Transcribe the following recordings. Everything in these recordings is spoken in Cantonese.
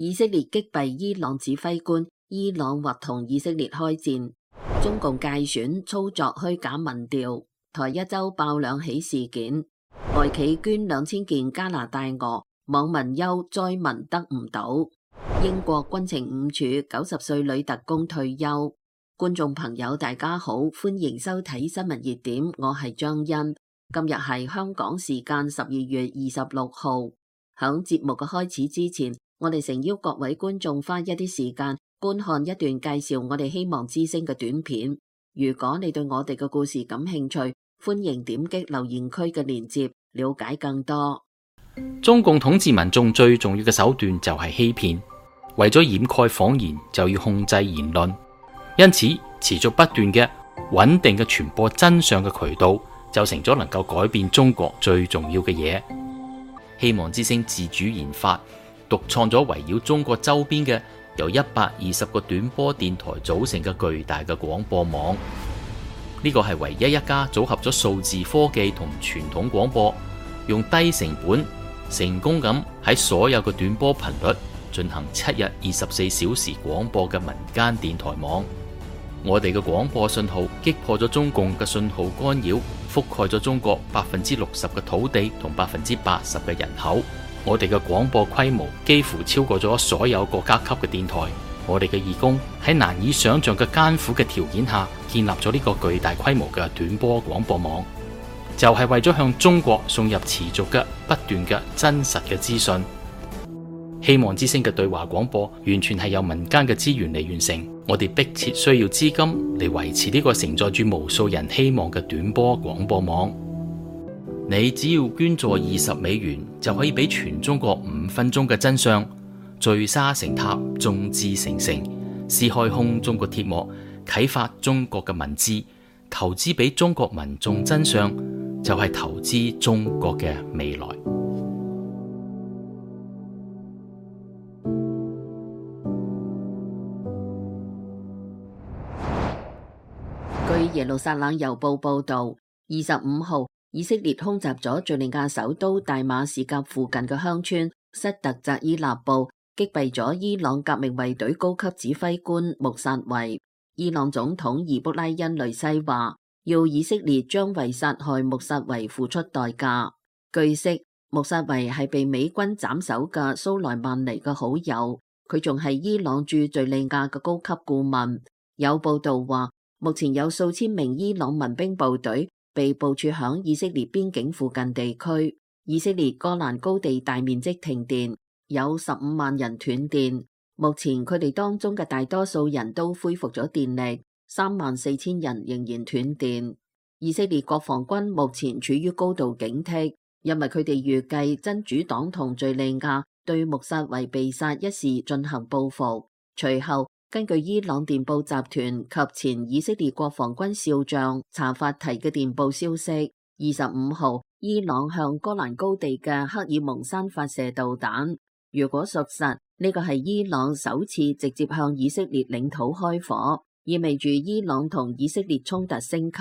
以色列擊斃伊朗指揮官，伊朗或同以色列開戰。中共介選操作虛假民調。台一周爆兩起事件，外企捐2000件加拿大鵝，網民憂災民得唔到。英國軍情5處90歲女特工退休。觀眾朋友大家好，歡迎收睇新聞熱點，我係張欣。今日係香港時間12月26號。響節目嘅開始之前，我哋誠邀各位觀眾花一啲時間觀看一段介紹我哋希望之聲嘅短片。如果你對我哋嘅故事感興趣，歡迎點擊留言區嘅鏈接了解更多。中共統治民眾最重要嘅手段就係欺騙，為咗掩蓋謊言就要控制言論，因此持續不斷嘅穩定嘅傳播真相嘅渠道就成咗能夠改變中國最重要嘅嘢。希望之聲自主研發獨創咗圍繞中國周邊嘅由120個短波電台組成嘅巨大嘅廣播網，呢個係唯一一家組合咗數字科技同傳統廣播，用低成本成功咁喺所有嘅短波頻率進行7日24小時廣播嘅民間電台網。我哋嘅廣播信號擊破咗中共嘅信號干擾，覆蓋咗中國60%嘅土地同80%嘅人口。我哋嘅廣播規模幾乎超過咗所有國家級嘅電台。我哋嘅義工喺難以想象嘅艱苦嘅條件下建立咗呢個巨大規模嘅短波廣播網，就係為咗向中國送入持續嘅不斷嘅真實嘅資訊。希望之聲嘅對話廣播完全係由民間嘅資源嚟完成，我哋迫切需要資金嚟維持呢個承載住無數人希望嘅短波廣播網。你只要捐助$20，就可以俾全中國5分鐘嘅真相，聚沙成塔，眾志成城，撕開空中國鐵幕，啟發中國嘅文字，投資俾中國民眾真相，就係投資中國嘅未來。據耶路撒冷郵報報道，25號以色列空襲咗敘利亞首都大馬士革附近嘅鄉村塞特扎伊納布，擊斃咗伊朗革命衛隊高級指揮官穆薩維。伊朗總統伊卜拉欣雷西話，要以色列將為殺害穆薩維付出代價。據悉，穆薩維係被美軍斬首嘅蘇萊曼尼嘅好友，佢仲係伊朗駐敘利亞嘅高級顧問。有報道話，目前有數千名伊朗民兵部隊被部署響以色列邊境附近地區。以色列戈蘭高地大面積停電，有15萬人斷電。目前佢哋當中嘅大多數人都恢復咗電力，34000人仍然斷電。以色列國防軍目前處於高度警惕，因為佢哋預計真主黨同敘利亞對穆薩維被殺一事進行報復。隨後，根據伊朗電報集團及前以色列國防軍少將查法提嘅電報消息，25號伊朗向戈蘭高地嘅克爾蒙山發射導彈。如果屬實，呢個係伊朗首次直接向以色列領土開火，意味住伊朗同以色列衝突升級。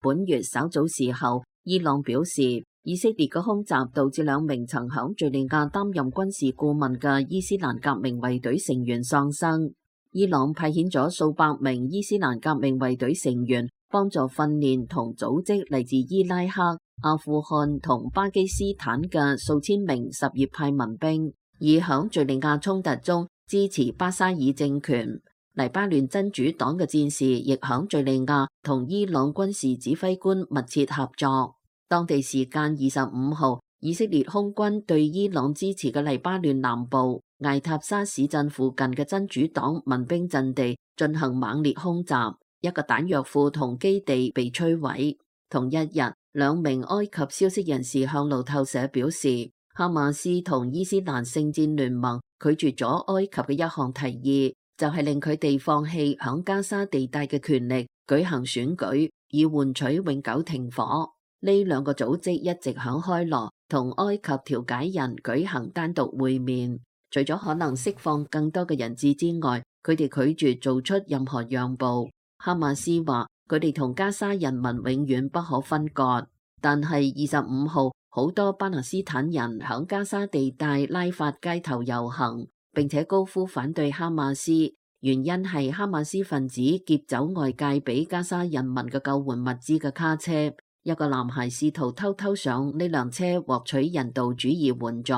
本月稍早時候，伊朗表示以色列嘅空襲導致2名曾響敘利亞擔任軍事顧問嘅伊斯蘭革命衛隊成員喪生。伊朗派遣咗數百名伊斯蘭革命衛隊成員幫助訓練同組織嚟自伊拉克、阿富汗同巴基斯坦嘅數千名什葉派民兵，以響敘利亞衝突中支持巴沙爾政權。黎巴嫩真主黨嘅戰士亦響敘利亞同伊朗軍事指揮官密切合作。當地時間25號，以色列空軍對伊朗支持嘅黎巴嫩南部艾塔沙市鎮附近嘅真主黨民兵陣地進行猛烈空襲，一個彈藥庫同基地被摧毀。同一日，2名埃及消息人士向路透社表示，哈馬斯同伊斯蘭聖戰聯盟拒絕咗埃及嘅一項提議，就係令佢哋放棄響加沙地帶嘅權力，舉行選舉，以換取永久停火。呢2個組織一直響開羅同埃及調解人舉行單獨會面。除咗可能釋放更多嘅人質之外，佢哋拒絕做出任何讓步。哈馬斯話佢哋同加沙人民永遠不可分割，但係25號好多巴勒斯坦人響加沙地帶拉法街頭遊行，並且高呼反對哈馬斯，原因係哈馬斯分子劫走外界俾加沙人民嘅救援物資嘅卡車，一個男孩試圖偷偷上呢輛車獲取人道主義援助，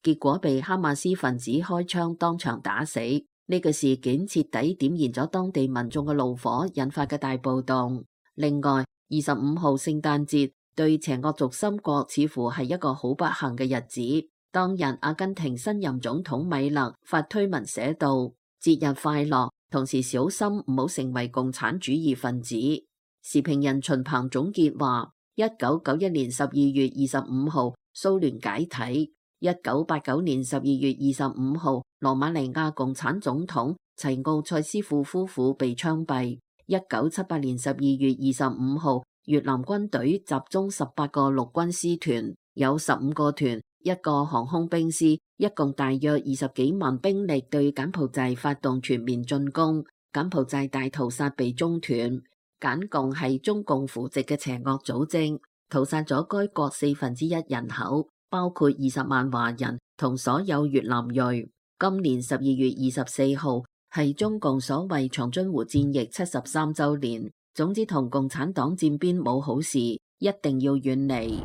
結果被哈馬斯分子開槍當場打死。呢個事件徹底點燃咗當地民眾嘅怒火，引發嘅大暴動。另外，25號聖誕節對邪惡軸心國似乎係一個好不幸嘅日子。當日阿根廷新任總統米勒發推文寫道：節日快樂，同時小心唔好成為共產主義分子。時評人秦鵬總結話：1991年12月25號蘇聯解體，1989年12月25號羅馬尼亞共產總統齊奧塞斯庫夫婦被槍斃，1978年12月25號越南軍隊集中18個陸軍師團，有15個團、1個航空兵師，一共大約20幾萬兵力對柬埔寨發動全面進攻，柬埔寨大屠殺被中斷。柬共係中共扶植嘅邪惡組織，屠殺咗該國1/4人口，包括20萬華人同所有越南裔。今年12月24號係中共所謂長津湖戰役73週年。總之同共產黨佔邊冇好事，一定要遠離。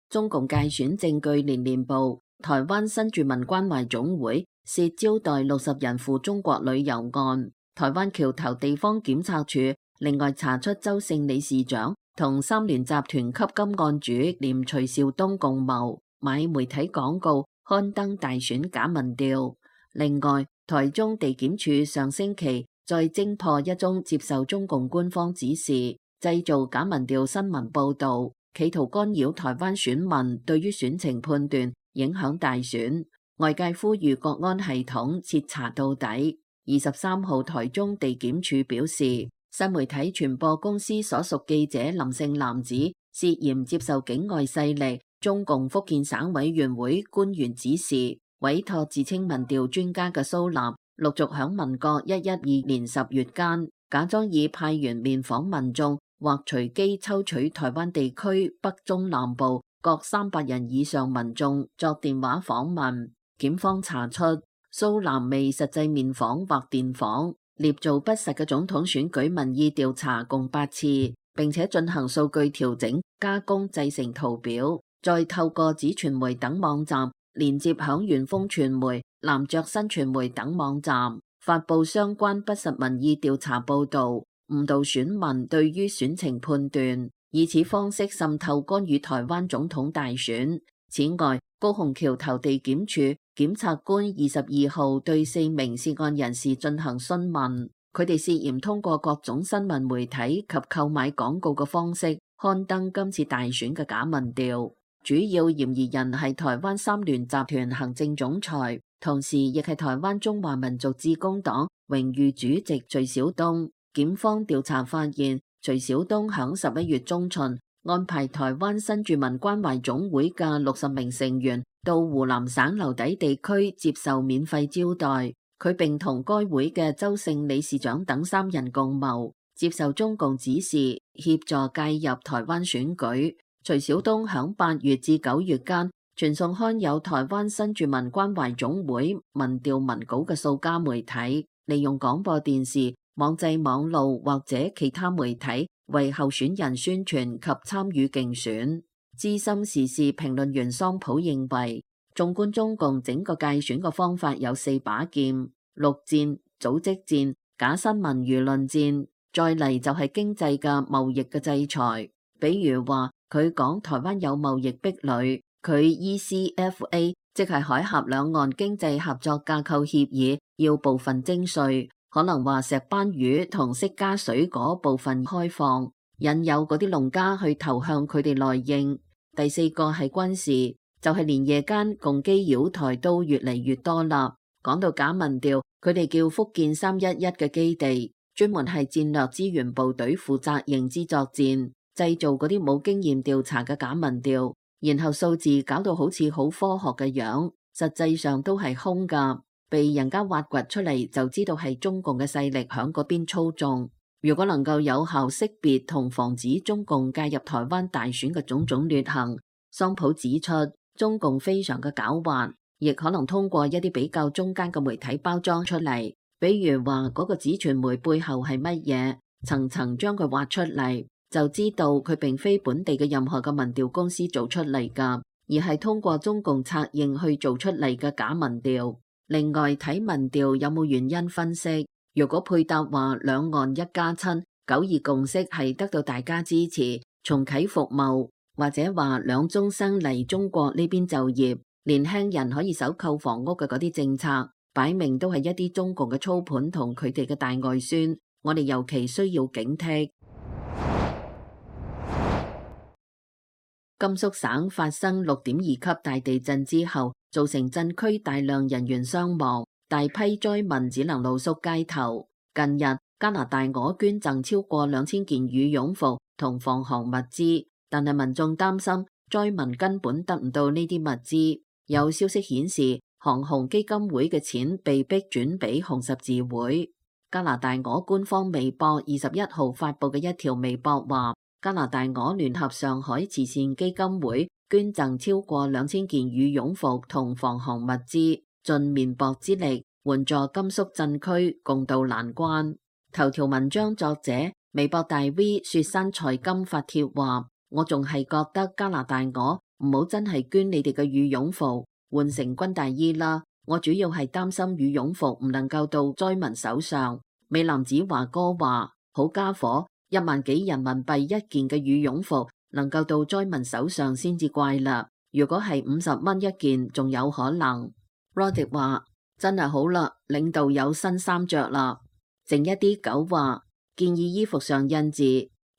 中共界選證據連連報，台灣新住民關懷總會涉招待60人赴中國旅遊案，台灣橋頭地方檢察處另外查出周姓理事長同三聯集團吸金案主連徐兆東共謀買媒體廣告刊登大選假民調。另外，台中地檢署上星期再偵破一宗接受中共官方指示製造假民調新聞報導，企圖干擾台灣選民對於選情判斷，影響大選。外界呼籲國安系統徹查到底。23號台中地檢署表示，新媒體傳播公司所屬記者林姓男子涉嫌接受境外勢力中共福建省委員會官員指示，委託自稱民調專家嘅蘇南，陸續響民國112年10月間，假裝以派員面訪民眾，或隨機抽取台灣地區北中南部各300人以上民眾作電話訪問。檢方查出蘇南未實際面訪或電訪，捏造不實嘅總統選舉民意調查共8次，並且進行數據調整、加工製成圖表，再透過紙傳媒等網站連接響元豐傳媒、南爵新傳媒等網站，發佈相關不實民意調查報導，誤導選民對於選情判斷，以此方式滲透干預台灣總統大選。此外，高雄橋頭地檢署檢察官22號對4名涉案人士進行詢問，佢哋涉嫌通過各種新聞媒體及購買廣告嘅方式刊登今次大選嘅假民調。主要嫌疑人係台灣三聯集團行政總裁，同時亦係台灣中華民族致公黨榮譽主席徐小東。檢方調查發現，徐小東響11月中旬安排台灣新住民關懷總會嘅60名成員到湖南省留底地區接受免費招待，佢並同該會嘅周姓理事長等3人共謀，接受中共指示協助介入台灣選舉。徐小東響8月至9月間傳送刊有台灣新住民關懷總會民調文稿嘅數家媒體，利用廣播電視、網際網路或者其他媒體為候選人宣傳及參與競選。資深時事評論員桑普認為，縱觀中共整個界選嘅方法有4把劍：陸戰、組織戰、假新聞輿論戰，再嚟就係經濟嘅貿易嘅制裁。比如話，佢講台灣有貿易壁壘，佢 ECFA 即係海峽兩岸經濟合作架構協議要部分徵稅，可能話石斑魚同釋迦水果部分開放，引誘嗰啲農家去投向佢哋內應。第4個係軍事，就係連夜間共機擾台都越嚟越多啦。講到假民調，佢哋叫福建311嘅基地，專門係戰略資源部隊負責認知作戰，製造嗰啲冇經驗調查嘅假民調，然後數字搞到好似好科學嘅樣，實際上都係空噶，被人家挖掘出嚟就知道係中共嘅勢力響嗰邊操縱。如果能夠有效識別同防止中共介入台灣大選嘅種種劣行，桑普指出，中共非常嘅狡猾，亦可能通過一啲比較中間嘅媒體包裝出嚟，比如話嗰個紙傳媒背後係乜嘢，層層將佢挖出嚟，就知道佢並非本地嘅任何嘅民調公司做出嚟㗎，而係通過中共策應去做出嚟嘅假民調。另外睇民調有冇原因分析，如果配搭話兩岸一家親9·2共識係得到大家支持，重啟服務，或者話兩中生嚟中國呢邊就業，年輕人可以首購房屋嘅嗰啲政策，擺明都係一啲中共嘅操盤同佢哋嘅大外宣，我哋尤其需要警惕。甘肅省發生6.2級大地震之後，造成震區大量人員傷亡，大批災民只能露宿街頭。近日，加拿大我捐贈超過2000件羽絨服同防寒物資，但係民眾擔心災民根本得唔到呢啲物資。有消息顯示，韓紅基金會嘅錢被逼轉俾紅十字會。加拿大我官方微博21號發佈嘅一條微博話，加拿大我聯合上海慈善基金會捐贈超過2000件羽絨服同防寒物資，盡綿薄之力援助甘肅震區共渡難關。頭條文章作者微博大 V 雪山財金發帖話，我仲係覺得加拿大我唔好真係捐你哋嘅羽絨服，換成軍大衣啦。我主要係擔心羽絨服唔能夠到災民手上。美男子華哥話，好家伙，1萬幾人民幣一件嘅羽絨服能夠到災民手上先至怪啦，如果係50蚊一件仲有可能。Roddy 話，真係好啦，領導有新衫着啦。靜一啲狗話，建議衣服上印字，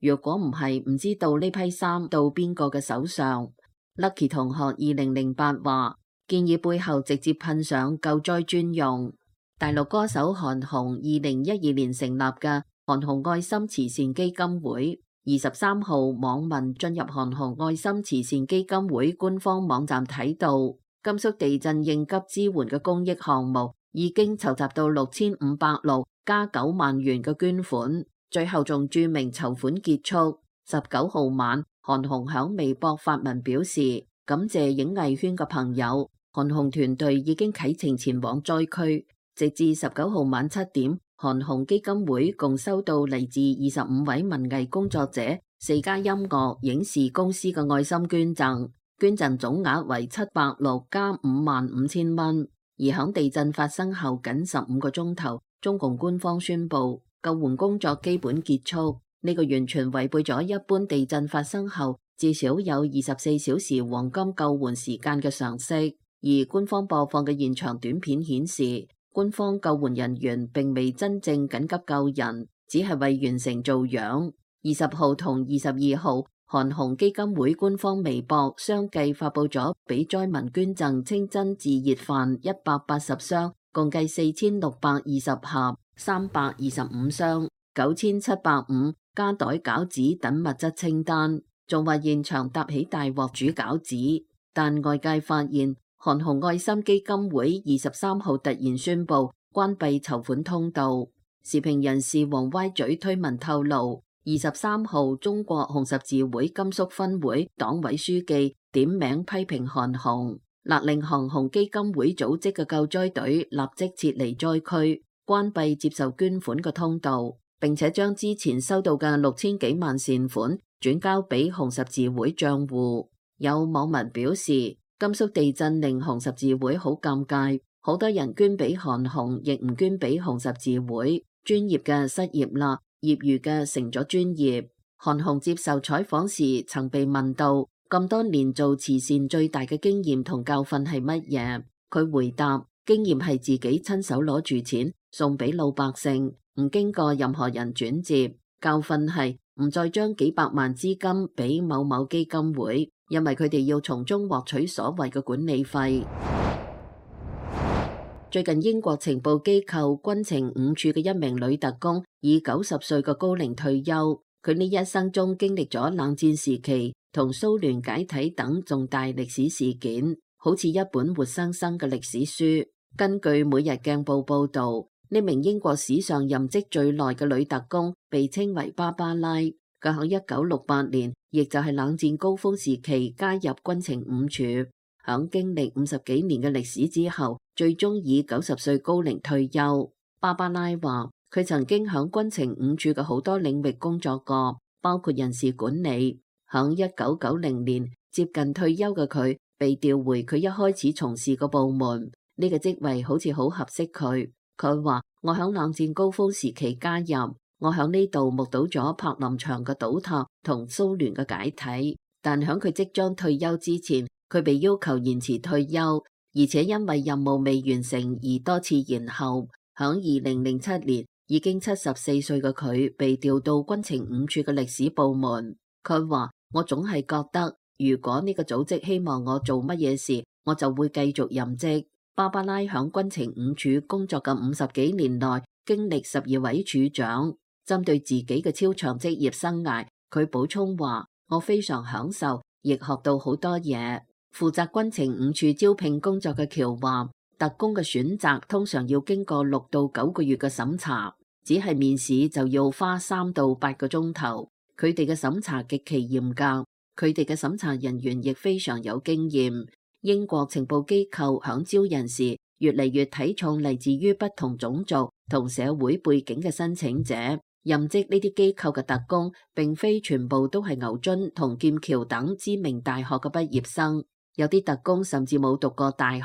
如果唔係唔知道呢批衫到邊個嘅手上。Lucky 同學2008話，建議背後直接噴上救災專用。大陸歌手韓紅2012年成立嘅韓紅愛心慈善基金會，23號網民進入韓紅愛心慈善基金會官方網站睇到，甘肅地震應急支援嘅公益項目已經籌集到6506加9萬元嘅捐款，最後仲注明籌款結束。19號晚，韓紅響微博發文表示，感謝影藝圈嘅朋友，韓紅團隊已經啟程前往災區。直至19號晚7點，韓紅基金會共收到嚟自25位文藝工作者、4家音樂影視公司嘅愛心捐贈，捐贈總額為706加55000蚊。而響地震發生後僅15個鐘頭，中共官方宣布救援工作基本結束。呢個完全違背咗一般地震發生後至少有24小時黃金救援時間嘅常識。而官方播放嘅現場短片顯示，官方救援人員並未真正緊急救人，只係為完成做樣。20號同22號，韓紅基金會官方微博相繼發佈咗俾災民捐贈清真自熱飯180箱，共計4620盒、325箱、9705加袋餃子等物質清單，仲話現場搭起大鑊煮餃子。但外界發現，韓紅愛心基金會23號突然宣布關閉籌款通道。時評人士王歪嘴推文透露，23號中國紅十字會甘肅分會黨委書記點名批評韓紅，勒令韓紅基金會組織嘅救災隊立即撤離災區，關閉接受捐款嘅通道，並且將之前收到嘅6000幾萬善款轉交俾紅十字會賬戶。有網民表示，甘肅地震令紅十字會好尷尬，好多人捐俾韓紅，亦唔捐俾紅十字會。專業嘅失業啦，業餘嘅成咗專業。韓紅接受採訪時曾被問到，咁多年做慈善最大嘅經驗同教訓係乜嘢？佢回答，經驗係自己親手攞住錢送俾老百姓，唔經過任何人轉接。教訓係唔再將幾百萬資金俾某某基金會，因為佢哋要從中獲取所謂嘅管理費。最近英國情報機構軍情5處嘅一名女特工以90歲嘅高齡退休，佢呢一生中經歷咗冷戰時期同蘇聯解體等重大歷史事件，好似一本活生生嘅歷史書。根據每日鏡報報道，呢名英國史上任職最耐嘅女特工被稱為芭芭拉，佢喺1968年，亦就係冷戰高峰時期加入軍情5處。響經歷50幾年嘅歷史之後，最終以90歲高齡退休。芭芭拉話，佢曾經響軍情5處嘅好多領域工作過，包括人事管理。響1990年接近退休嘅佢，被調回佢一開始從事嘅部門，呢個職位好似好合適佢。佢話，我響冷戰高峰時期加入，我響呢度目睹咗柏林牆嘅倒塌同蘇聯嘅解體，但響佢即將退休之前，佢被要求延遲退休，而且因為任務未完成而多次延後。響2007年，已經74歲嘅佢被調到軍情5處嘅歷史部門。佢話，我總係覺得，如果呢個組織希望我做乜嘢事，我就會繼續任職。芭芭拉響軍情5處工作嘅50幾年內，經歷12位處長。針對自己嘅超長職業生涯，佢補充話，我非常享受，亦學到好多嘢。負責軍情5處招聘工作嘅喬話，特工嘅選擇通常要經過6到9個月嘅審查，只係面試就要花3到8個鐘頭。佢哋嘅審查極其嚴格，佢哋嘅審查人員亦非常有經驗。英國情報機構響招人時，越嚟越睇重嚟自於不同種族同社會背景嘅申請者。任職呢啲機構嘅特工，並非全部都係牛津同劍橋等知名大學嘅畢業生，有啲特工甚至冇讀過大學，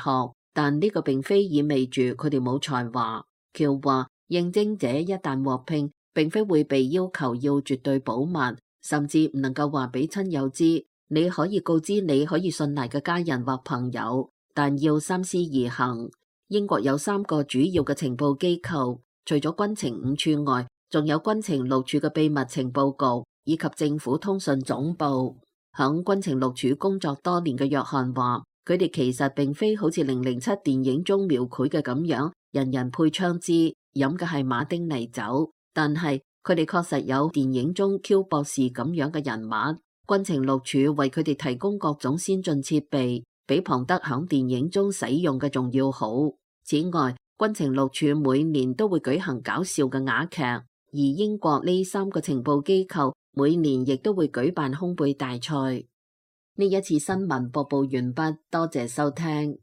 但呢個並非意味住佢哋冇才華。喬話，應徵者一旦獲聘，並非會被要求要絕對保密，甚至唔能夠話俾親友知。你可以告知你可以信賴嘅家人或朋友，但要三思而行。英國有3個主要嘅情報機構，除咗軍情5處外，仲有軍情6處嘅秘密情報局以及政府通訊總部。響軍情6處工作多年嘅約翰話，佢哋其實並非好似007電影中描繪嘅咁樣，人人配槍支，飲嘅係馬丁尼酒，但係佢哋確實有電影中 Q 博士咁樣嘅人物。軍情6處為佢哋提供各種先進設備，比龐德響電影中使用嘅仲要好。此外，軍情6處每年都會舉行搞笑嘅話劇，而英國呢3個情報機構每年亦都會舉辦烘焙大賽。呢一次新聞播報完畢，多謝收聽。